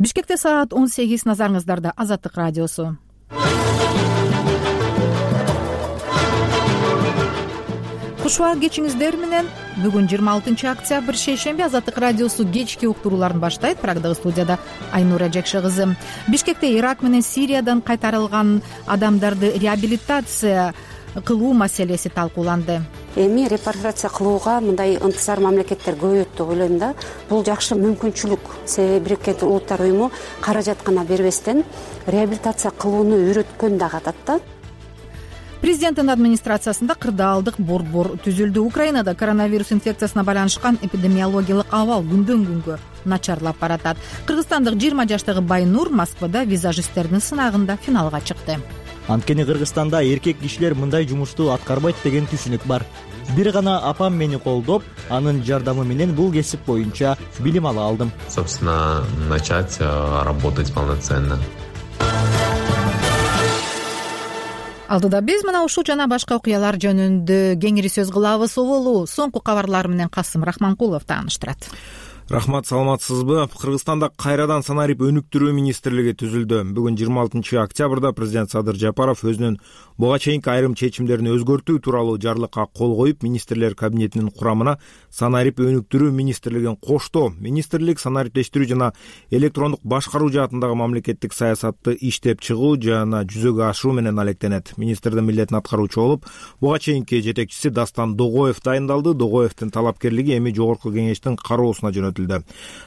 Бишкекте саат 18. Назарыңыздарда Азаттык радиосу. Кушубак кечиңиздер менен. Бүгүн 26 октябрь шейшемби. Азаттык радиосу кечки уктурууларын баштайт. Прагдагы студияда Айнура Жакшы кызы. Бишкекте Ирак менен Сириядан кайтарылган адамдарды реабилитация кылуу маселеси талкууланды. Эми репатриация кылууга мындай ынтызар мамлекеттер көбөйөт деп ойлойм да. Бул жакшы мүмкүнчүлүк. Себеби Бириккен Улуттар уюму каражат гана бербестен реабилитация кылууну үйрөткөн да катат да. Президенттин администрациясында кырдаалдык борбор түзүлдү. Украинада коронавирус инфекциясына байланышкан эпидемиологиялык абал күндөн күнгө начарлап баратат. Кыргызстандык 20 жаштагы Байнур Москвада визажисттердин сынагында финалга чыкты. Анткени Кыргызстанда эркек кишилер мындай жумушту аткарбайт деген түшүнүк бар. Бир гана апам мени колдоп, анын жардамы менен бул кесип боюнча билим ала алдым. Собственно, начать работать полноценно. Алдыда биз мына ушул жана башка окуялар жөнүндө кеңири сөз кылабыз. Оболу соңку кабарлар менен Касым Рахманкулов тааныштырат. Рахмат, саламатсызбы? Кыргызстанда кайрадан санарип өнүктүрүү министрлиги түзүлдү. Бүгүн 26 октябрда президент Садыр Жапаров өзүнүн буга чейинки айрым чечимдерин өзгөртүү тууралуу жарлыкка кол коюп, министрлер кабинетинин курамына санарип өнүктүрүү министрлигин кошту. Министрлик санариптештирүү жана электрондук башкаруу жаатындагы мамлекеттик саясатты иштеп чыгуу жана жүзөгө ашыруу менен алектенет. Министрдин милдетин аткаруучу болуп, буга чейинки жетекчиси Дастан Догоев дайындалды. Догоевдин талапкерлиги эми жогорку кеңештин кароосуна жөнөтүлдү.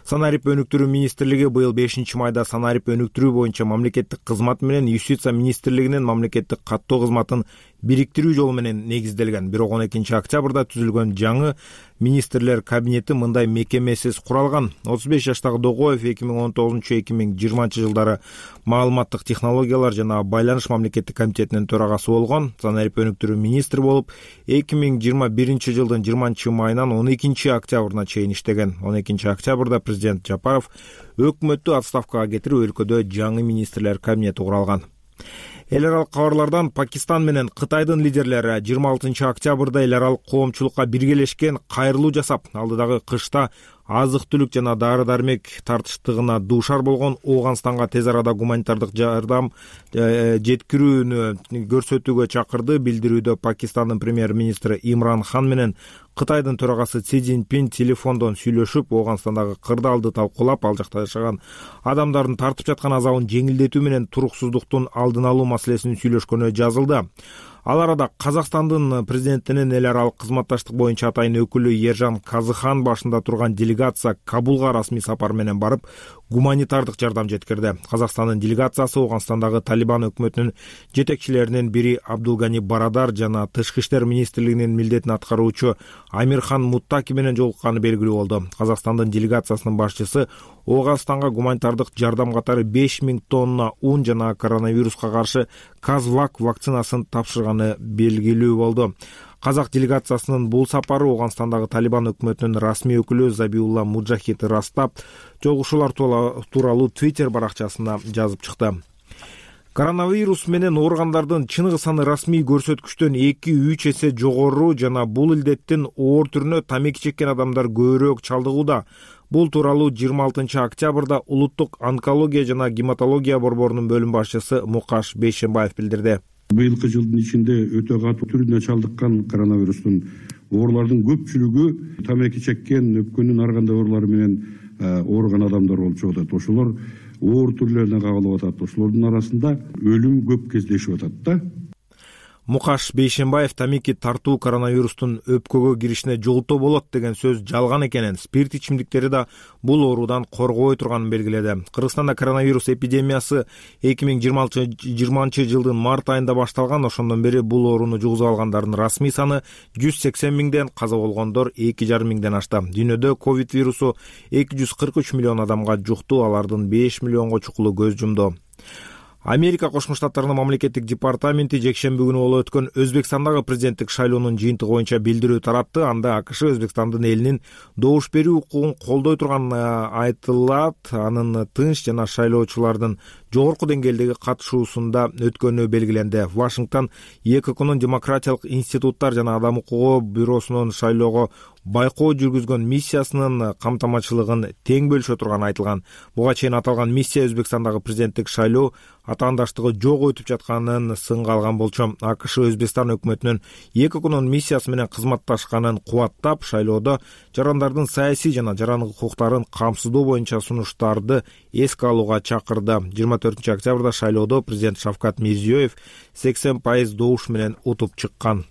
Санарип өнүктүрүү министрлиги быйыл 5-майда санарип өнүктүрүү боюнча мамлекеттик кызмат менен Юстиция министрлигинин мамлекеттик каттоо кызматын бириктирүү жолу менен негизделген. Бирок 12 октябрда түзүлгөн жаңы министрлер кабинети мындай мекемесиз куралган. 35 жаштагы Догоев 2019-2020 жылдары маалыматтык технологиялар жана байланыш мамлекеттик комитетинин төрагасы болгон. Санарип өнүктүрүү министри болуп 2021 жылдын 20 майынан 12 октябрына чейин иштеген. 12 октябрда президент Жапаров өкмөттү отставкага кетирип, өлкөдө жаңы министрлер кабинети куралган. Эл аралык кабарлардан Пакистан менен Кытайдын лидерлери 26 октябрда эл аралык коомчулукка биргелешкен кайрылуу жасап, алдыдагы кышта азык-түлүк жана дары-дармек тартыштыгына дуушар болгон Ооганстанга тез арада гуманитардык жардам жеткирүүнү көрсөтүүгө чакырды. Билдирүүдө Пакистандын премьер-министри Имран Хан менен Кытайдын төрагасы Си Цзиньпин телефондон сүйлөшүп, Ооганстандагы кырдаалды талкуулап, ал жакта жашаган адамдардын тартып жаткан азабын жеңилдетүү менен туруксуздуктун алдын алуу маселесин сүйлөшкөнү жазылды. Ал арада Казакстандын президентинин эл аралык кызматташтык боюнча атайын өкүлү Ержан Казыхан башында турган делегация Кабулга расмий сапар менен барып, гуманитардык жардам жеткирди. Казакстандын делегациясы Ооганстандагы Талибан өкмөтүнүн жетекчилеринин бири Абдулгани Барадар жана Тышкы иштер министрлигинин милдетин аткаруучу Амирхан Муттаки менен жолукканы белгилүү болду. Казакстандын делегациясынын башчысы Ооганстанга гуманитардык жардам катары 5000 тонна ун жана коронавируска каршы Казвак вакцинасын тапшырганы белгилүү болду. Казак делегациясынын бул сапары Ооганстандагы Талибан өкмөтүнүн расмий өкүлү Забиулла Муджахид Растап жолугушуулар тууралуу Twitter баракчасына жазып чыкты. Коронавирус менен ооругандардын чыныгы саны расмий көрсөткүчтөн 2-3 эсе жогору жана бул илдеттин оор түрүнө тамеки чеккен адамдар көбүрөөк чалдыгууда. Бул тууралуу 26 октябрда Улуттук онкология жана гематология борборунун бөлүм башчысы Мукаш Бейшембаев билдирди. Быйылкы жылдын ичинде өтө катуу түрүнө чалдыккан коронавирустун оорулардын көпчүлүгү тамеки чеккен, өпкөнүн ар кандай оорулары менен ооруган адамдар болуп чыгып атат. Ошолор оор түрлөрүнө кабылып атат. Ошолордун арасында өлүм көп кездешип атат да. Мукаш Бейшембаев тамеки тартуу коронавирустун өпкөгө киришине жолтоо болот деген сөз жалган экенин, спирт ичимдиктери да бул оорудан коргобой турганын белгиледи. Кыргызстанда коронавирус эпидемиясы 2020 жылдын март айында башталган. Ошондон бери бул ооруну жугузуп алгандардын расмий саны 180 миңден, каза болгондор 2,5 миңден ашты. Дүйнөдө ковид вирусу 243 миллион адамга жукту, алардын 5 миллионго чукулу көз жумду. Америка Кошмо Штаттарынын мамлекеттик департаменти жекшемби күнү болуп өткөн Өзбекстандагы президенттик шайлоонун жыйынтыгы боюнча билдирүү таратты. Анда АКШ Өзбекстандын элинин добуш берүү укугун колдой турганы айтылат. Анын тынч жана шайлоочулардын жогорку деңгээлдеги катышуусунда өткөнү белгиленди. Вашингтон ЕККнун демократиялык институттар жана адам укугу бюросунун шайлоого байкоо жүргүзгөн миссиясынын камтамачылыгын тең бөлүшө турганы айтылган. Буга чейин аталган миссия Өзбекстандагы президенттик шайлоо атаандаштыгы жок өтүп жатканын сынга алган болчу. АКШ Өзбекстан өкмөтүнүн ЕККнун миссиясы менен кызматташканын кубаттап, шайлоодо жарандардын саясий жана жарандык укуктарын камсыздоо боюнча сунуштарды эске алууга чакырды. 24 октябрда шайлоодо президент Шавкат Мирзиёев 80% добуш менен утуп чыккан.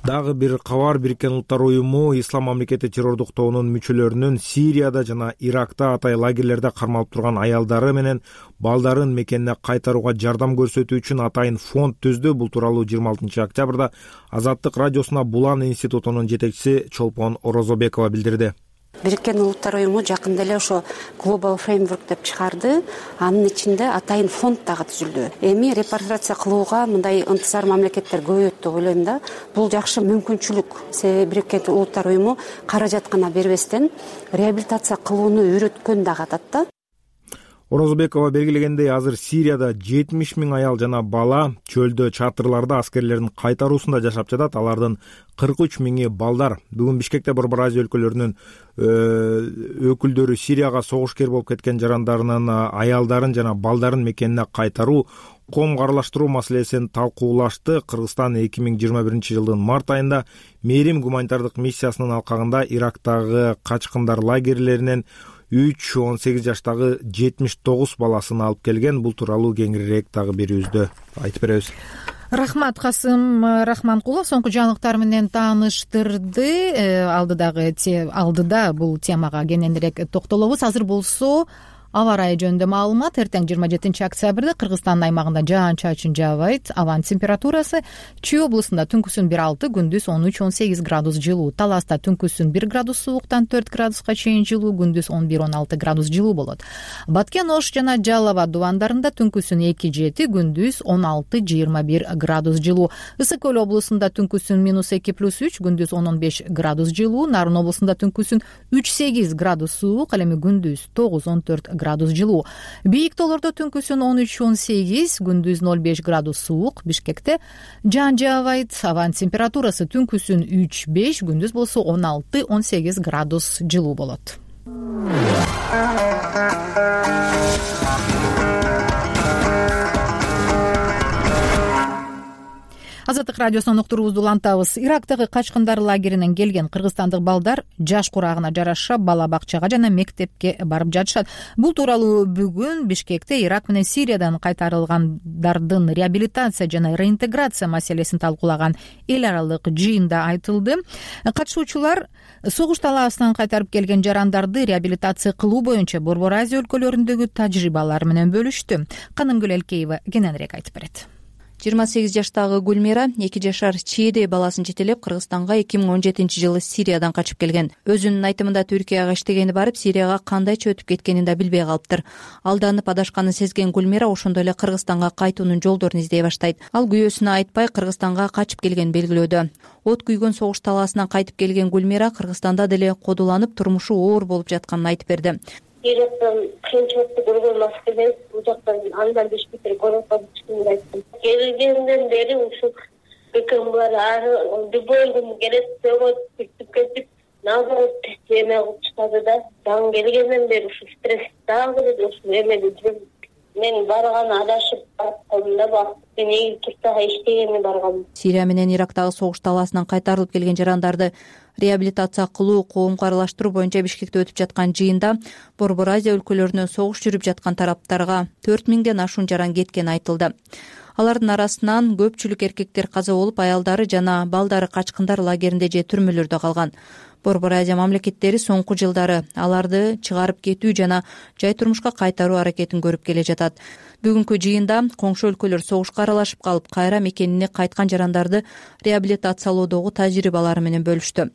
Дагы бир кабар. Бириккен Улуттар уюму Ислам мамлекети террордук тобунун мүчөлөрүнүн Сирияда жана Иракта атай лагерлерде кармалып турган аялдары менен балдарын мекенине кайтарууга жардам көрсөтүү үчүн атайын фонд түздү. Бул тууралуу 26 октябрда Азаттык радиосуна Булан институтунун жетекчиси Чолпон Орозобекова билдирди. Бириккен Улуттар уюму жакында эле ошо Global Framework деп чыгарды. Анын ичинде атайын фонд дагы түзүлдү. Эми репарация кылууга мындай ынтызар мамлекеттер көбөйөт деп ойлойм да. Бул жакшы мүмкүнчүлүк. Себеби Бириккен Улуттар уюму каражат гана бербестен реабилитация кылууну үйрөткөн дагы атат да. Орозбекова белгилегендей, азыр Сирияда 70 000 аял жана бала чөлдө чатырларда аскерлердин кайтаруусунда жашап жатат. Алардын 43 000 балдар. Бүгүн Бишкекте Борбор Азия өлкөлөрүнүн өкүлдөрү Сирияга согушкер болуп кеткен жарандарынын аялдарын жана балдарын мекенине кайтаруу, коомго аралаштыруу маселесин талкуулашты. Кыргызстан 2021 жылдын март айында Мээрим гуманитардык миссиясынын алкагында Ирактагы качкындар лагерлеринен 3-18 жаштагы 79 баласын алып келген. Бул тууралуу кеңирээк дагы берүүбүздө айтып беребиз. Рахмат, Касым Рахманкулов соңку жаңылыктар менен тааныштырды. Алдыда бул темага кененирээк токтолобуз. Азыр болсо аба ырайы жөнүндө маалымат. Эртең 27 октябрда Кыргызстандын аймагында жаан-чачын жаабайт. Абанын температурасы Чүй облусунда түнкүсүн 1-6, күндүз 13-18 градус жылуу. Таласта түнкүсүн 1 градус сууктан 4 градуска чейин жылуу, күндүз 11-16 градус жылуу болот. Баткен, Ош жана Жалал Абад дубандарында түнкүсүн 2-7, күндүз 16-21 градус жылуу. Ысык Көл облусунда түнкүсүн -2+3, күндүз 10-15 градус жылуу. Нарын облусунда түнкүсүн 3-8 градус суук, ал эми күндүз 9-14 градус жылуу. Бийик тоолордо түнкүсүн 13-18, күндүз 0-5 градус суук. Бишкекте жаан жаабайт. Абанын температурасы түнкүсүн 3-5, күндүз болсо 16-18 градус жылуу болот. Азаттык радиосунун уктуруубузду улантабыз. Ирактагы качкындар лагеринен келген кыргызстандык балдар жаш курагына жараша бала бакчага жана мектепке барып жатышат. Бул тууралуу бүгүн Бишкекте Ирак менен Сириядан кайтарылгандардын реабилитация жана реинтеграция маселесин талкуулаган эл аралык жыйында айтылды. Катышуучулар согуш талаасынан кайтарып келген жарандарды реабилитация кылуу боюнча Борбор Азия өлкөлөрүндөгү тажрыйбалары менен бөлүштү. Канымгүл Элкеева кененирээк айтып берет. 28 жаштагы Гүлмира 2 жашар чийде баласын жетелеп Кыргызстанга 2017 жылы Сириядан качып келген. Өзүнүн айтымында Түркияга иштегени барып, Сирияга кандайча өтүп кеткенин да билбей калыптыр. Алданып адашканын сезген Гүлмира ошондой эле Кыргызстанга кайтуунун жолдорун издей баштайт. Ал күйөөсүнө айтпай Кыргызстанга качып келгенин белгилөөдө. От күйгөн согуш талаасынан кайтып келген Гүлмира Кыргызстанда деле кодуланып, турмушу оор болуп жатканын айтып берди. Ирактан кыйынчылыкты көргөн маселе бул жактан андан Бишкекке көрөт деп айттым. Келгенден бери ушул өкмөттөр ары любой күн келет, сүртүп кетип, наоборот эме кылып чыгады да. Дагы келгенден бери ушул стресс дагы ушул эмеде жүрүп, мен барган адашып барып да бак. Мен туртага иштегени баргам. Сирия менен Ирактагы согуш талаасынан кайтарылып келген жарандарды реабилитация кылуу, коомго аралаштыруу боюнча Бишкекте өтүп жаткан жыйында Борбор Азия өлкөлөрүнөн согуш жүрүп жаткан тараптарга 4000ден ашуун жаран кеткени айтылды. Алардын арасынан көпчүлүк эркектер каза болуп, аялдары жана балдары качкындар лагеринде же түрмөлөрдө калган. Борбор Азия мамлекеттери соңку жылдары аларды чыгарып кетүү жана жай турмушка кайтаруу аракетин көрүп келе жатат. Бүгүнкү жыйында коңшу өлкөлөр согушка аралашып калып, кайра мекенине кайткан жарандарды реабилитациялоодогу тажрыйбалары менен бөлүштү.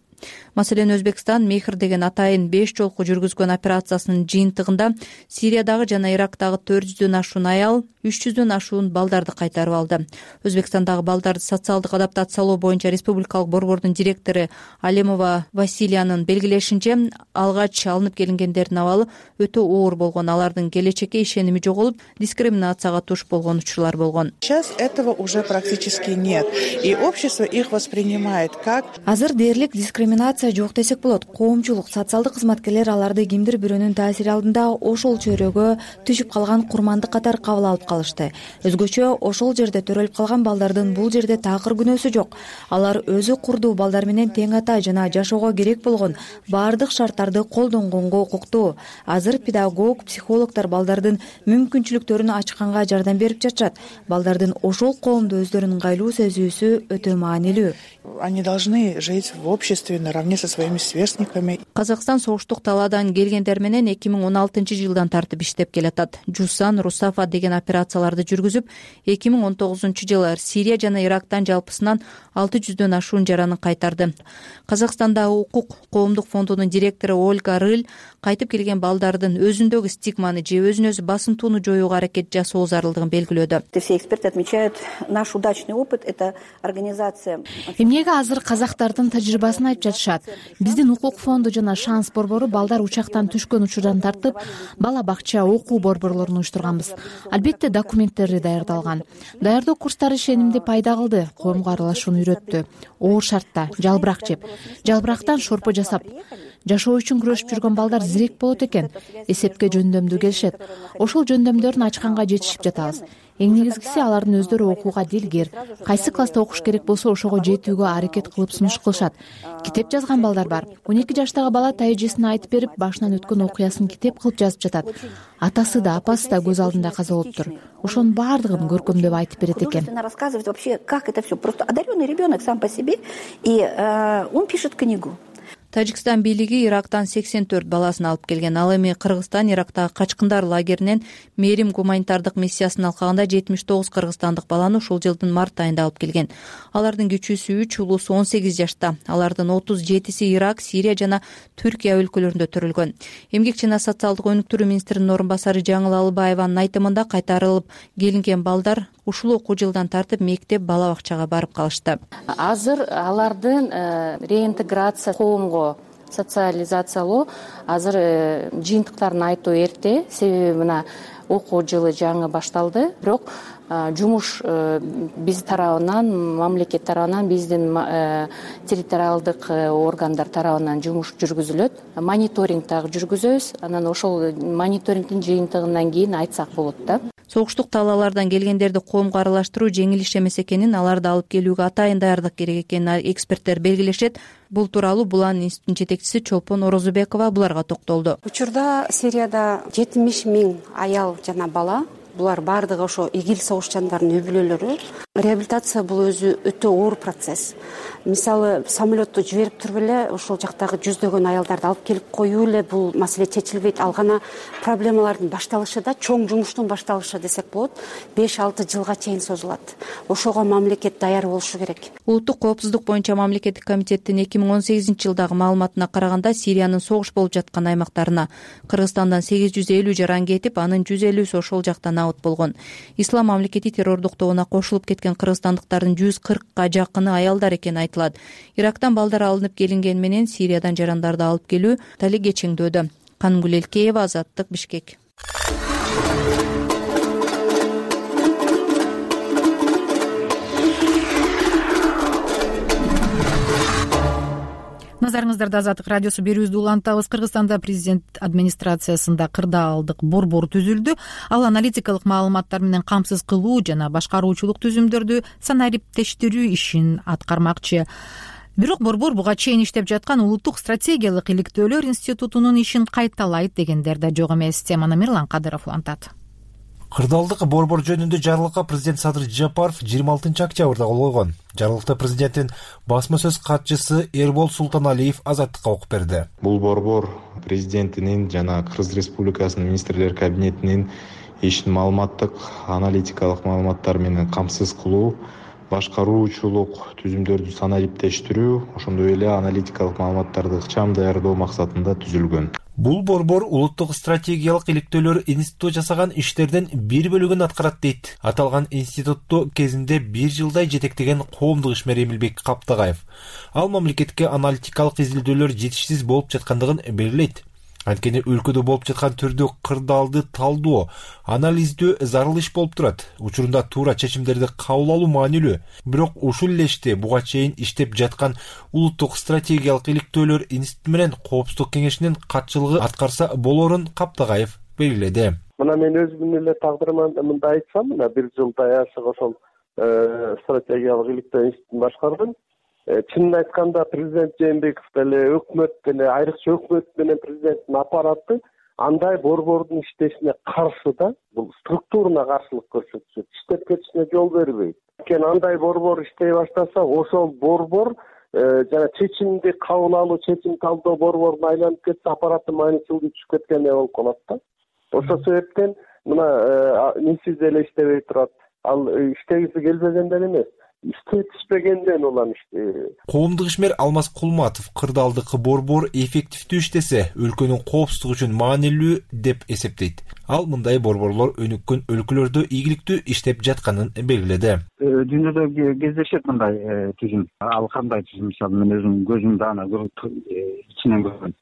Маселен, Өзбекстан Мехр деген атайын 5 жолку жүргүзгөн операциясынын жыйынтыгында Сириядагы жана Ирактагы 400дөн ашуун аял, 300дөн ашуун балдарды кайтарып алды. Өзбекстандагы балдарды социалдык адаптациялоо боюнча республикалык борбордун директору Алемова Василиянын белгилешинче, алгач алынып келингендердин абалы өтө оор болгон, алардын келечекке ишеними жоголуп, дискриминацияга туш болгон учурлар болгон. Сейчас этого уже практически нет, и общество их воспринимает как... Азыр дээрлик дискриминация жок десек болот. Коомчулук, социалдык кызматкерлер аларды кимдир бирөөнүн таасири алдында ошол чөйрөгө түшүп калган курмандык катары кабыл алып калышты. Өзгөчө ошол жерде төрөлүп калган балдардын бул жерде такыр күнөөсү жок. Алар өзү курдуу балдар менен тең ата жана жашоого керек болгон баардык шарттарды колдонгонго укуктуу. Азыр педагог, психологдор балдардын мүмкүнчүлүктөрүн ачканга жардам берип жатышат. Балдардын ошол коомдо өздөрүн ыңгайлуу сезүүсү өтө маанилүү. Они должны жить в обществе наравне со своими сверстниками. Казакстан согуштук талаадан келгендер менен 2016-жылдан тартып иштеп келатат. Жусан, Русафа деген операцияларды жүргүзүп, 2019-жылы Сирия жана Ирактан жалпысынан 600дөн ашуун жаранын кайтарды. Казакстандагы укук коомдук фондунун директору Ольга Рыль кайтып келген балдардын өзүндөгү стигманы же өзүн өзү басымтууну жоюуга аракет жасоо зарылдыгын белгилөөдө. Все эксперты отмечают наш удачный опыт. Это организация. Эмнеге азыр казактардын тажрыйбасын айтып жатышат? Биздин укук фонду жана Шанс борбору балдар учактан түшкөн учурдан тартып, бала бакча, окуу борборлорун уюштурганбыз. Албетте документтери даярдалган. Даярдоо курстары ишенимди пайда кылды, коомго аралашууну үйрөттү. Оор шартта жалбырак жеп, жалбырактан шорпо жасап, жашоо үчүн күрөшүп жүргөн балдар зирек болот экен. Эсепке жөндөмдүү келишет. Ошол жөндөмдөрүн ачканга жетишип жатабыз. Эң негизгиси алардын өздөрү окууга дилгер. Кайсы класста окуш керек болсо ошого жетүүгө аракет кылып сунуш кылышат. Китеп жазган балдар бар. 12 жаштагы бала тайжесин айтып берип, башынан өткөн окуясын китеп кылып жазып жатат. Атасы да, апасы да көз алдында каза болуптур. Ошонун баардыгын көркөмдөп айтып берет экен. Рассказывать вообще, как это все. Просто одаренный ребенок сам по себе, и он пишет книгу. Тажикстан бийлиги Ирактан 84 баласын алып келген. Ал эми Кыргызстан Ирактагы качкындар лагеринен Мерим гуманитардык миссиясын алкагында 79 кыргызстандык баланы ушул жылдын март айында алып келген. Алардын кичүүсү 3, улуусу 18 жашта. Алардын 37си Ирак, Сирия жана Түркия өлкөлөрүндө төрөлгөн. Эмгек жана социалдык өнүктүрүү министринин орун басары Жаңыл Алыбаеванын айтымында кайтарылып келинген балдар ушул окуу жылдан тартып мектеп, бала бакчага барып калышты. Азыр алардын реинтеграция коомго социализациялоо азыр жыйынтыктарын айтуу эрте, себеби мына окуу жылы жаңы башталды. Бирок жумуш биз тарабынан, мамлекет тарабынан, биздин территориалдык органдар тарабынан жумуш жүргүзүлөт. Мониторинг дагы жүргүзөбүз. Анан ошол мониторингдин жыйынтыгынан кийин айтсак болот да. Согуштук талаалардан келгендерди коомго аралаштыруу жеңил иш эмес экенин, аларды алып келүүгө атайын даярдык керек экенин эксперттер белгилешет. Бул тууралуу Булан институтунун жетекчиси Чолпон Орозубекова буларга токтолду. Учурда Сирияда 70 000 аял жана бала, булар баардыгы ошо ИГИЛ согушчандарынын үй бүлөлөрү. Реабилитация бул өзү өтө оор процесс. Мисалы, самолетту жиберип туруп эле ошол жактагы жүздөгөн аялдарды алып келип коюу эле бул маселе чечилбейт. Ал гана проблемалардын башталышы да, чоң жумуштун башталышы десек болот, 5-6 жылга чейин созулат. Ошого мамлекет даяр болушу керек. Улуттук коопсуздук боюнча мамлекеттик комитеттин 2018-жылдагы маалыматына караганда Сириянын согуш болуп жаткан аймактарына Кыргызстандан 850 жаран кетип, анын 150сү ошол жактан аут болгон. Ислам мамлекети террордук тобуна кошулуп кеткен кыргызстандыктардын 140га жакыны аялдар экени айтылат. Ирактан балдар алынып келинген менен Сириядан жарандарды алып келүү тали кечеңдөөдө. Канымгүл Элкеева, Азаттык, Бишкек. Назарыңыздарда Азаттык радиосу берүүбүздү улантабыз. Кыргызстанда президент администрациясында кырдаалдык борбор түзүлдү. Ал аналитикалык маалыматтар менен камсыз кылуу жана башкаруучулук түзүмдөрдү санариптештирүү ишин аткармакчы. Бирок борбор буга чейин иштеп жаткан улуттук стратегиялык иликтөөлөр институтунун ишин кайталайт дегендер да жок эмес. Теманы Мирлан Кадыров улантат. Кырдаалдык борбор жөнүндө жарлыкка президент Садыр Жапаров 26-октябрда кол койгон. Жарлыкта президенттин басма сөз катчысы Эрбол Султаналиев Азаттыкка окуп берди. Бул борбор президентинин жана Кыргыз Республикасынын министрлер кабинетинин ишин маалыматтык, аналитикалык маалыматтар менен камсыз кылуу, башкаруучулук түзүмдөрдү санариптештирүү, ошондой эле аналитикалык маалыматтарды ыкчам даярдоо максатында түзүлгөн. Бул борбор улуттук стратегиялык иликтөөлөр институту жасаган иштерден бир бөлүгүн аткарат дейт. Аталган институтту кезинде 1 жылдай жетектеген коомдук ишмер Эмилбек Каптагаев. Ал мамлекетке аналитикалык изилдөөлөр жетишсиз болуп жаткандыгын белгилейт. Анткени өлкөдө болуп жаткан түрдүү кырдаалды талдоо, анализдөө зарыл иш болуп турат. Учурунда туура чечимдерди кабыл алуу маанилүү. Бирок ушул элеште буга чейин иштеп жаткан улуттук стратегиялык иликтөөлөр институту менен коопсуздук кеңешинин катчылыгы аткарса болорун Каптагаев белгиледи. Мына мен өзүмдүн эле тагдырымда мындай айтсам, мына 1 жылдай ашык ошол стратегиялык иликтөө институтун башкардым. Чынын айтканда президент Жээнбеков деле, өкмөт деле, айрыкча өкмөт менен президенттин аппараты андай борбордун иштешине каршы да, бул структурына каршылык көрсөтүшөт, иштеп кетишине жол бербейт. Анткени андай борбор иштей баштаса, ошол борбор жана чечимди кабыл алуу, чечим талдоо борборуна айланып кетсе, аппараттын маанисиздиги түшүп кеткендей болуп калат да. Ошол себептен мына нисиз эле иштебей турат. Ал иштегиси келбегенден эмес, иштетишпегенден улам Коомдук ишмер Алмаз Кулматов кырдаалдыкы борбор эффективдүү иштесе, өлкөнүн коопсуздугу үчүн маанилүү деп эсептейт. Ал мындай борборлор өнүккөн өлкөлөрдө ийгиликтүү иштеп жатканын белгиледи. Дүйнөдө кездешет мындай түзүм. Ал кандай түзүм? Мисалы, мен өзүм көзүмдө аны ичинен көргөм.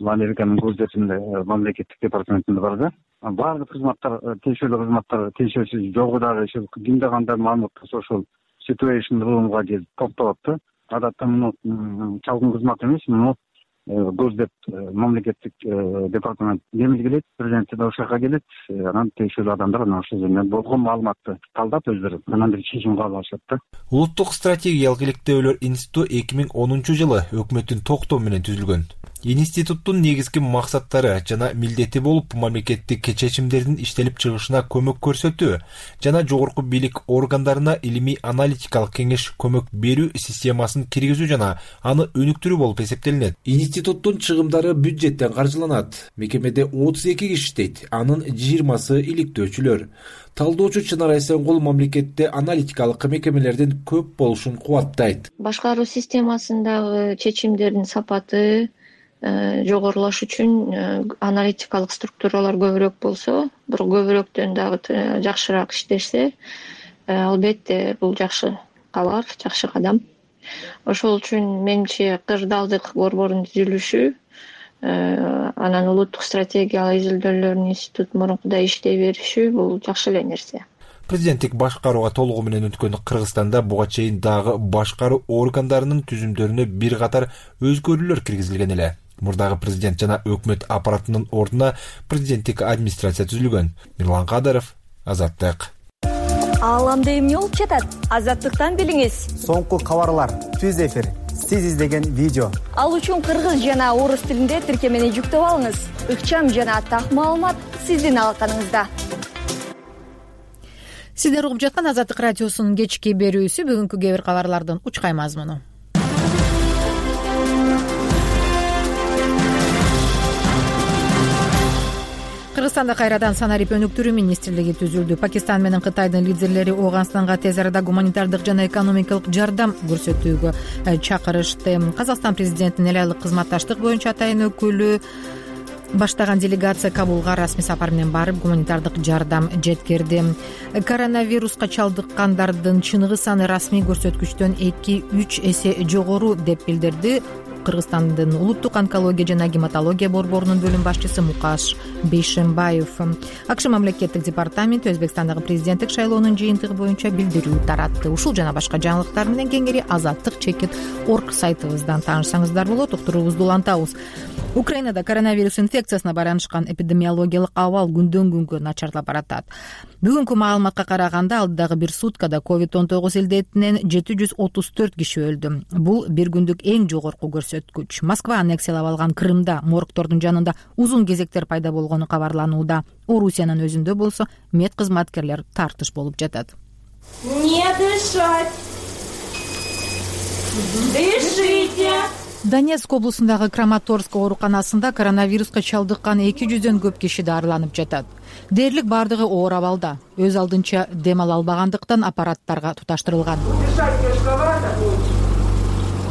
Американын көздөсүндө мамлекеттик департаментинде бар да. Баардык кызматтар, тиешелүү кызматтар тиешеси жогу дагы кимде кандай маалымат болсо ошол situation roomга келип токтолот да. Адатта муну чалгын кызмат эмес, муну көздөп мамлекеттик департамент белгилейт, президент да ошол жака келет, анан тиешелүү адамдар ошол жерден болгон маалыматты талдап өздөрү анан бир чечим кабыл алышат да. Улуттук стратегиялык иликтөөлөр институту 2010 жылы өкмөттүн токтоо менен түзүлгөн. Институттун негизги максаттары жана милдети болуп, мамлекеттик чечимдердин иштелип чыгышына көмөк көрсөтүү жана жогорку бийлик органдарына илимий аналитикалык кеңеш көмөк берүү системасын киргизүү жана аны өнүктүрүү болуп эсептелинет. Институттун чыгымдары бюджеттен каржыланат. Мекемеде 32 киши иштейт, анын 20сы иликтөөчүлөр. Талдоочу Чынар Айсенгул мамлекетте аналитикалык мекемелердин көп болушун кубаттайт. Башкаруу системасындагы чечимдердин сапаты жогорулаш үчүн аналитикалык структуралар көбүрөөк болсо, бирок көбүрөөктөн дагы жакшыраак иштешсе, албетте бул жакшы кабар, жакшы кадам. Ошол үчүн менимче кырдаалдык борбордун түзүлүшү, анан улуттук стратегиялык изилдөөлөрдүн институту мурункудай иштей бериши бул жакшы эле нерсе. Президенттик башкарууга толугу менен өткөн Кыргызстанда буга чейин дагы башкаруу органдарынын түзүмдөрүнө бир катар өзгөрүүлөр киргизилген эле. Мурдагы президент жана өкмөт аппаратынын ордуна президенттик администрация түзүлгөн. Мирлан Кадыров, Азаттык. Ааламда эмне болуп жатат? Азаттыктан билиңиз. Соңку кабарлар, түз эфир, сиз издеген видео. Ал үчүн кыргыз жана орус тилинде тиркемени жүктөп алыңыз. Ыкчам жана так маалымат сиздин алаканыңызда. Сиздер угуп жаткан Азаттык радиосунун кечки берүүсү. Бүгүнкү кээ бир кабарлардын учкай мазмуну. Кыргызстанда кайрадан санарип өнүктүрүү министрлиги түзүлдү. Пакистан менен Кытайдын лидерлери Ооганстанга тез арада гуманитардык жана экономикалык жардам көрсөтүүгө чакырышты. Казакстан президентинин эл айлык кызматташтык боюнча атайын өкүлү баштаган делегация Кабулга расмий сапар менен барып гуманитардык жардам жеткирди. Коронавируска чалдыккандардын чыныгы саны расмий көрсөткүчтөн 2-3 эсе жогору деп билдирди Кыргызстандын улуттук онкология жана гематология борборунун бөлүм башчысы Мукаш Бейшембаев. АКШ мамлекеттик департаменти Өзбекстандагы президенттик шайлоонун жыйынтыгы боюнча билдирүү таратты. Ушул жана башка жаңылыктар менен кеңири azattik.org сайтыбыздан таанышсаңыздар болот. Уктуруубузду улантабыз. Украинада коронавирус инфекциясына байланышкан эпидемиологиялык абал күндөн күнгө начарлап баратат. Бүгүнкү маалыматка караганда алдыдагы бир суткада COVID-19 илдетинен 734 киши өлдү. Бул бир күндүк эң жогорку көрсөткүч. Москва аннексиялап алган Крымда моргтордун жанында узун кезектер пайда болгону кабарланууда. Орусиянын өзүндө болсо мед кызматкерлер тартыш болуп жатат. Не дышать. Дышите. Донецк облусундагы Краматорск ооруканасында коронавируска чалдыккан 200дөн көп киши дарыланып жатат. Дээрлик бардыгы оор абалда, өз алдынча дем ала албагандыктан аппараттарга туташтырылган.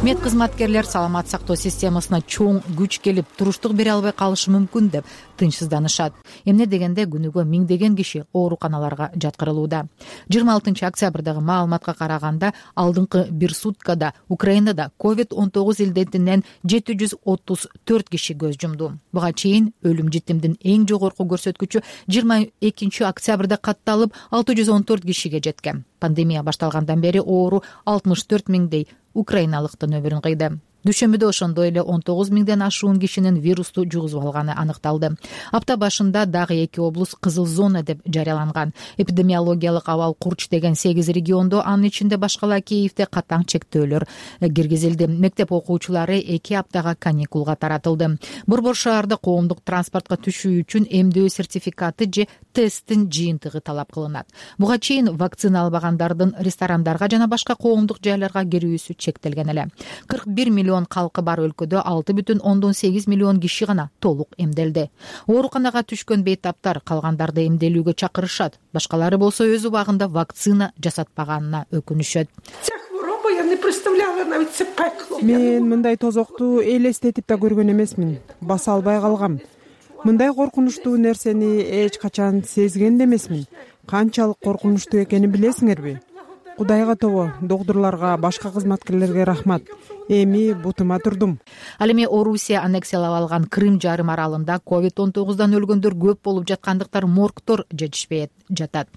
Мед кызматкерлер саламат сактоо системасына чоң күч келип, туруштук бере албай калышы мүмкүн деп тынчсызданышат. Эмне дегенде күнүгө миңдеген киши ооруканаларга жаткырылууда. 26 октябрдагы маалыматка караганда, алдыңкы бир суткада Украинада COVID-19 илдетинен 734 киши көз жумду. Буга чейин өлүм житимдин эң жогорку көрсөткүчү 22 октябрда катталып 614 кишиге жеткен. Пандемия башталгандан бери оору 64 миңдей украиналыктын өмүрүн кыйды. Дүйшөмбүдө ошондой эле 19 миңден ашуун кишинин вирусту жугузуп алганы аныкталды. Апта башында дагы 2 облус кызыл зона деп жарыяланган. Эпидемиологиялык абал курч деген 8 региондо, анын ичинде башкала Киевде катаң чектөөлөр киргизилди. Мектеп окуучулары 2 аптага каникулга таратылды. Борбор шаарда коомдук транспортко түшүү үчүн эмдөө сертификаты же тесттин жыйынтыгы талап кылынат. Буга чейин вакцина албагандардын ресторандарга жана башка коомдук жайларга кирүүсү чектелген эле. 41 миллион калкы бар өлкөдө 6,8 миллион киши гана толук эмделди. Ооруканага түшкөн бейтаптар калгандарды эмделүүгө чакырышат. Башкалары болсо өз убагында вакцина жасатпаганына өкүнүшөт. Мен мындай тозокту элестетип да көргөн эмесмин. Баса албай калгам. Мындай коркунучтуу нерсени эч качан сезген да эмесмин. Канчалык коркунучтуу экенин билесиңерби? Кудайга тобо, доктурларга, башка кызматкерлерге рахмат. Эми бутума турдум. Ал эми Орусия аннексиялап алган Крым жарым аралында COVID-19дан өлгөндөр көп болуп жаткандыктан моргтор жетишпей жатат.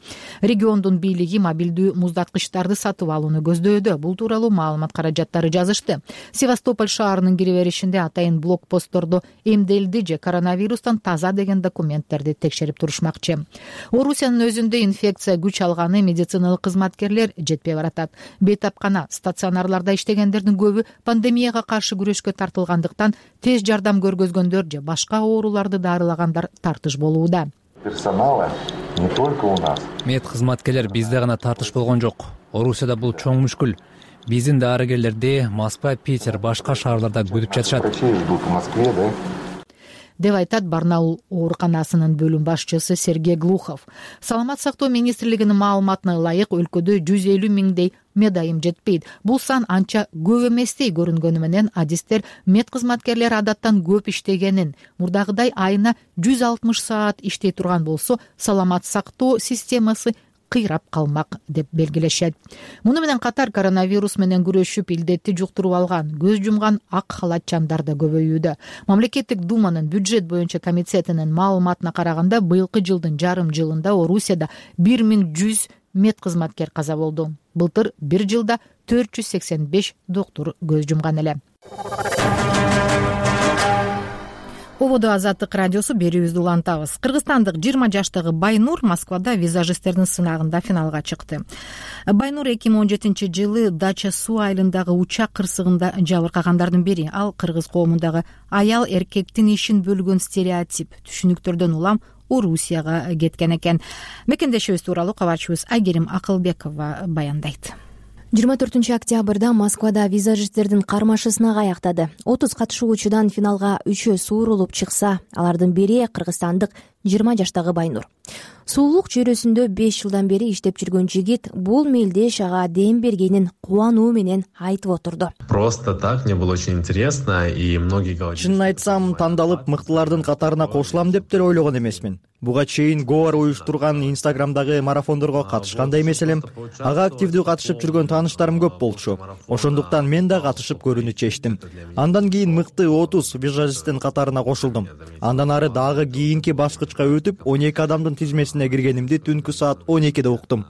Региондун бийлиги мобилдүү муздаткычтарды сатып алууну көздөдө. Бул тууралуу маалымат каражаттары жазышты. Севастополь шаарынын кире беришинде атайын блокпосттордо эмделди же коронавирустан таза деген документтерди текшерип турушмакчы. Орусиянын өзүндө инфекция күч алганы медициналык кызматкерлер жетпей баратат. Бейтапкана стационарларда иштегендердин көбү пандемияга каршы күрөшкө тартылгандыктан тез жардам көргөзгөндөр же башка ооруларды дарылагандар тартыш болууда. Персонала не только у нас. Мед кызматкерлер бизде гана тартыш болгон жок. Орусияда бул чоң мүшкүл. Биздин дарыгерлерди Москва, Питер, башка шаарларда күтүп жатышат. Врачей ждут в Москве, да? Деп айтат Барнаул ооруканасынын бөлүм башчысы Сергей Глухов. Саламат сактоо министрлигинин маалыматына ылайык өлкөдө 150 миңдей медайым жетпейт. Бул сан анча көп эместей көрүнгөнү менен адистер мед кызматкерлери адаттан көп иштегенин, мурдагыдай айына 160 саат иштей турган болсо, саламат сактоо системасы кыйрап калмак деп белгилешет. Муну менен катар коронавирус менен күрөшүп илдетти жуктуруп алган, көз жумган ак халатчандар да көбөйүүдө. Мамлекеттик думанын бюджет боюнча комитетинин маалыматына караганда, быйылкы жылдын жарым жылында Орусияда 1100 мед кызматкер каза болду. Былтыр бир жылда 485 доктур көз жумган эле. Ободо Азаттык радиосу берүүбүздү улантабыз. Кыргызстандык 20 жаштагы Байнур Москвада визажисттердин сынагында финалга чыкты. Байнур 2017 жылы Дача суу айылындагы учак кырсыгында жабыркагандардын бири. Ал кыргыз коомундагы аял эркектин ишин бөлгөн стереотип түшүнүктөрдөн улам Орусияга кеткен экен. Мекендешибиз тууралуу кабарчыбыз Айгерим Акылбекова баяндайт. 24 октябрда Москвада визажисттердин кармашы сынак аяктады. 30 катышуучудан финалга 3 суурулуп чыкса, алардын бири кыргызстандык 20 жаштагы Байнур. Суулук чөйрөсүндө 5 жылдан бери иштеп жүргөн жигит бул мелдеш ага дем бергенин кубануу менен айтып отурду. Просто так, мне было очень интересно, и многие говорили. Чынын айтсам, тандалып мыктылардын катарына кошулам деп деле ойлогон эмесмин. Буга чейин Гоар уюштурган Инстаграмдагы марафондорго катышкандай эмес элем. Ага активдүү катышып жүргөн тааныштарым көп болчу. Ошондуктан мен да катышып көрүүнү чечтим. Андан кийин мыкты 30 визажисттин катарына кошулдум. Андан ары дагы кийинки баскычка өтүп 12 адамдын тизмесине киргенимди түнкү саат 12де уктум.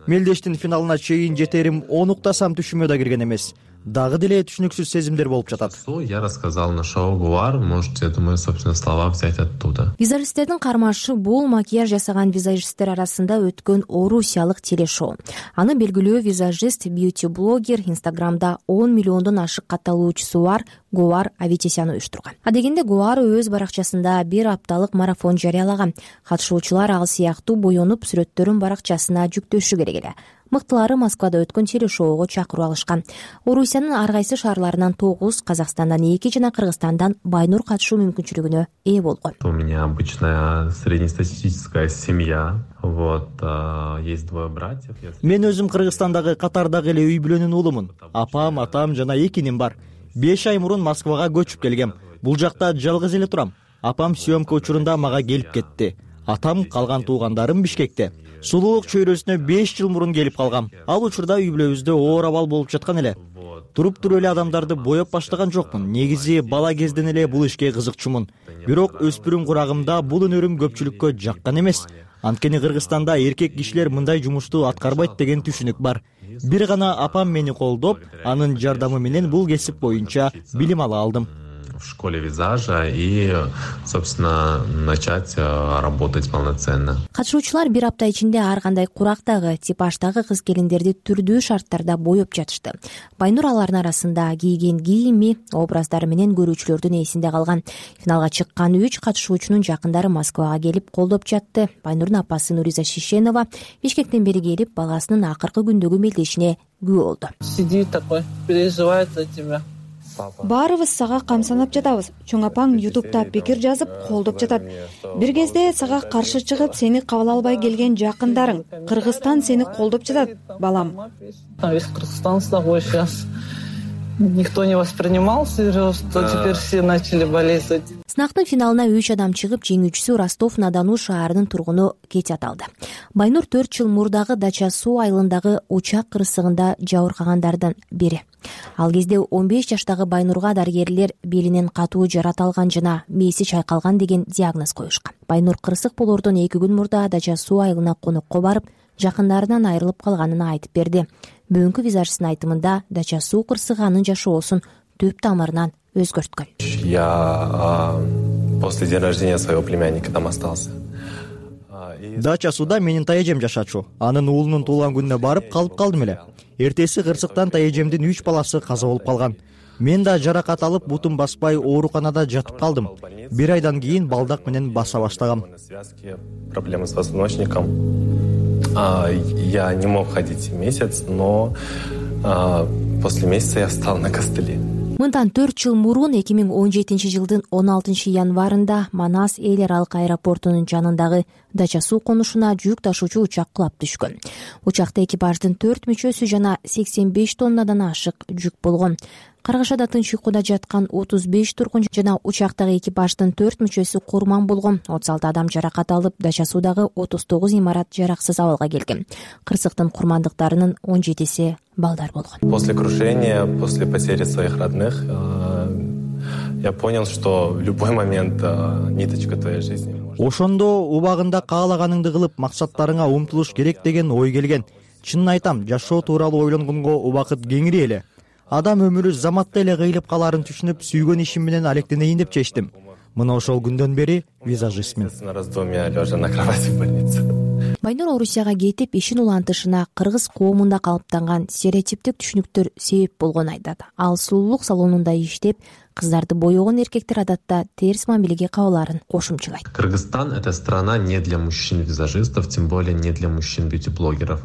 Мелдештин финалына чейин жетерим 10 уктасам түшүмө да кирген эмес. Дагы деле түшүнүксүз сезимдер болуп жатат. Я рассказал на шоу Гуар, можете, думаю, собственно, слова взять оттуда. Визажисттердин кармашы бул макияж жасаган визажисттер арасында өткөн орусиялык телешоу. Аны белгилүү визажист, бьюти-блогер Инстаграмда 10 миллиондон ашык катталуучусу бар Гуар Аветисян уюштурган. Адегенде Гуар өз баракчасында бир апталык марафон жарыялаган. Катышуучулар ал сыяктуу боенуп сүрөттөрүн баракчасына жүктөшү керек эле. мыктылары Москвада өткөн телешоуга чакыруу алышкан. Орусиянын ар кайсы шаарларынан 9, Казакстандан 2 жана Кыргызстандан Байнур катышуу мүмкүнчүлүгүнө ээ болгон. У меня обычная среднестатистическая семья. Есть двое братьев. Мен өзүм Кыргызстандагы катардагы эле үй бүлөнүн уулумун. Апам, атам жана 2 иним бар. 5 ай мурун Москвага көчүп келгем. Бул жакта жалгыз эле турам. Апам съемка учурунда мага келип кетти. Атам, калган туугандарым Бишкекте. Сулуулук чөйрөсүнө 5 жыл мурун келип калгам. Ал учурда үй бүлөбүздө оор абал болуп жаткан эле. Туруп эле адамдарды боеп баштаган жокмун. Негизи бала кезден эле бул ишке кызыкчумун. Бирок өспүрүм курагымда бул өнөрүм көпчүлүккө жаккан эмес. Анткени Кыргызстанда эркек кишилер мындай жумушту аткарбайт деген түшүнүк бар. Бир гана апам мени колдоп, анын жардамы менен бул кесип боюнча билим ала алдым. В школе визажа и, собственно, начать работать полноценно. Катышуучулар бир апта ичинде ар кандай курактагы, типаждагы кыз келиндерди түрдүү шарттарда боеп жатышты. Байнур алардын арасында кийген кийими, образдары менен көрүүчүлөрдүн эсинде калган. Финалга чыккан 3 катышуучунун жакындары Москвага келип колдоп жатты. Байнурдун апасы Нуриза Шишенова Бишкектен бери келип, баласынын акыркы күндөгү мелдешине күбө болду. Сидит такой, переживает за тебя. Баарыбыз сага камсанап жатабыз. Чоң апаң ютубта пикир жазып колдоп жатат. Бир кезде сага каршы чыгып, сени кабыл албай келген жакындарың, Кыргызстан сени колдоп жатат, балам. Весь Кыргызстан с тобой сейчас. Никто не воспринимал всерьез, что теперь все начали болеть за тебя. Сынактын финалына 3 адам чыгып, жеңүүчүсү Ростов-на-Дону шаарынын тургуну Кетя аталды. Байнур 4 жыл мурдагы Дача суу айылындагы учак кырсыгында жабыркагандардан бири. Ал кезде 15 жаштагы Байнурга дарыгерлер белинен катуу жарат алган жана мээси чайкалган деген диагноз коюшкан. Байнур кырсык болордон 2 күн мурда Дача суу айылына конокко барып, жакындарынан айрылып калганын айтып берди. Бүгүнкү визажчынын айтымында Дача суу кырсыгы анын жашоосун төп тамырынан өзгөрткөн. Я после день рождения своего племянника там остался. Дача сууда менин тайэжем жашачу. Анын уулунун туулган күнүнө барып калып калдым эле. Эртеси кырсыктан тайэжемдин 3 баласы каза болуп калган. Мен да жаракат алып, бутум баспай ооруканада жатып калдым. 1 айдан кийин балдак менен баса баштагам. Проблемы с позвоночником. Я не мог ходить месяц, но после месяца я встал на костыли. Мындан 4 жыл мурун 2017 жылдын 16 январында Манас эл аралык аэропортунун жанындагы Дача суу конушуна жүк ташуучу учак кулап түшкөн. Учакта экипаждын 4 мүчөсү жана 85 тоннадан ашык жүк болгон. Каргашада тынч уйкуда жаткан 35 тургун жана учактагы экипаждын 4 мүчөсү курман болгон. 36 адам жаракат алып, Дача суудагы 39 имарат жараксыз абалга келген. Кырсыктын курмандыктарынын 17си балдар болгон. После крушения, после потери своих родных, я понял, что в любой момент ниточка твоей жизни. Ошондо убагында каалаганыңды кылып, максаттарыңа умтулуш керек деген ой келген. Чынын айтам, жашоо тууралуу ойлонгонго убакыт кеңири эле. Адам өмүрү заматта эле кыйылып калаарын түшүнүп, сүйгөн ишим менен алектенейин деп чечтим. Мына ошол күндөн бери визажистмин. Байнур Орусияга кетип, ишин улантышына кыргыз коомунда калыптанган стереотиптик түшүнүктөр себеп болгонун айтат. Ал сулуулук салонунда иштеп, кыздарды боёгон эркектер адатта терс мамилеге кабылаарын кошумчалайт. Кыргызстан — это страна не для мужчин-визажистов, тем более не для мужчин-бьюти-блогеров.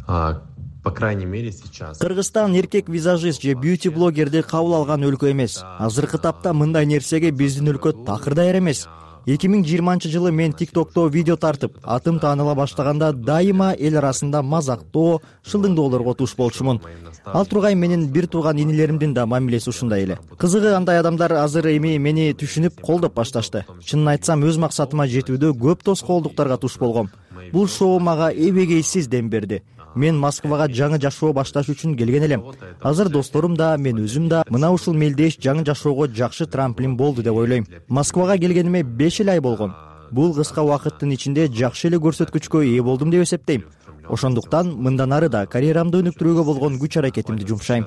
По крайней мере, сейчас. Кыргызстан эркек визажист же бьюти-блогерди кабыл алган өлкө эмес. Азыркы тапта мындай нерсеге биздин өлкө такыр даяр эмес. 2020 жылы мен TikTok'то видео тартып, атым тааныла баштаганда дайыма эл арасында мазактоо, шылдыңдоолорго туш болчумун. Ал тургай менин бир тууган инилеримдин да мамилеси ушундай эле. Кызыгы, андай адамдар азыр эми мени түшүнүп колдоп башташты. Чынын айтсам, өз максатыма жетүүдө көп тоскоолдуктарга туш болгом. Бул шоу мага эбегейсиз дем берди. Мен Москвага жаңы жашоо башташ үчүн келген элем. Азыр досторум да, мен өзүм да мына ушул мелдеш жаңы жашоого жакшы трамплин болду деп ойлойм. Москвага келгениме 5 ай болгон. Бул кыска убакыттын ичинде жакшы эле көрсөткүчкө ээ болдум деп эсептейм. Ошондуктан мындан ары да карьерамды өнүктүрүүгө болгон күч аракетимди жумшайм.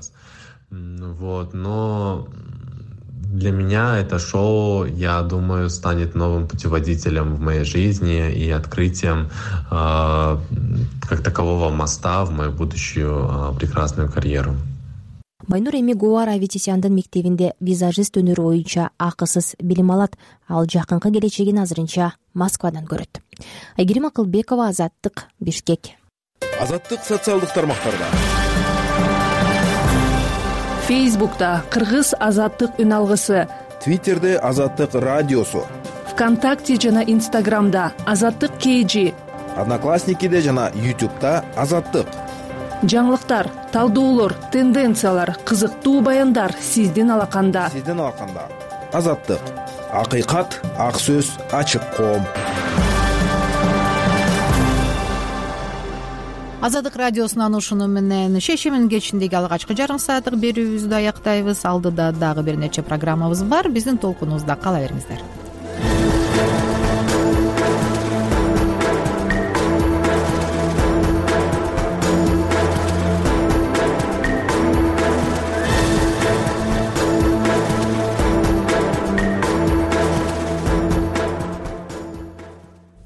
Но для меня это шоу, я думаю, станет новым путеводителем в моей жизни и открытием как такового моста в мою будущую прекрасную карьеру. Байнур эми Гуара Аветисяндын мектебинде визажист өнөрү боюнча акысыз билим алат. Ал жакынкы келечегин азырынча Москвадан көрөт. Айгерим Акылбекова, Азаттык, Бишкек. Азаттык социалдык тармактарда. Фейсбукта Кыргыз азаттык үн алгысы, Твиттерде Азаттык радиосу, ВКонтакте жана Инстаграмда Азаттык KG, Одноклассникиде жана YouTube'да Азаттык. Жаңылыктар, талдоолор, тенденциялар, кызыктуу баяндар сиздин алаканда. Азаттык. Акыйкат, ак сөз, ачык коом. Азаттык радиосунан ушуну менен шешимин кечиндеги алгачкы жарым сааттык берүүбүздү аяктайбыз. Алдыда дагы бир нече программабыз бар. Биздин толкунубузда кала бериңиздер.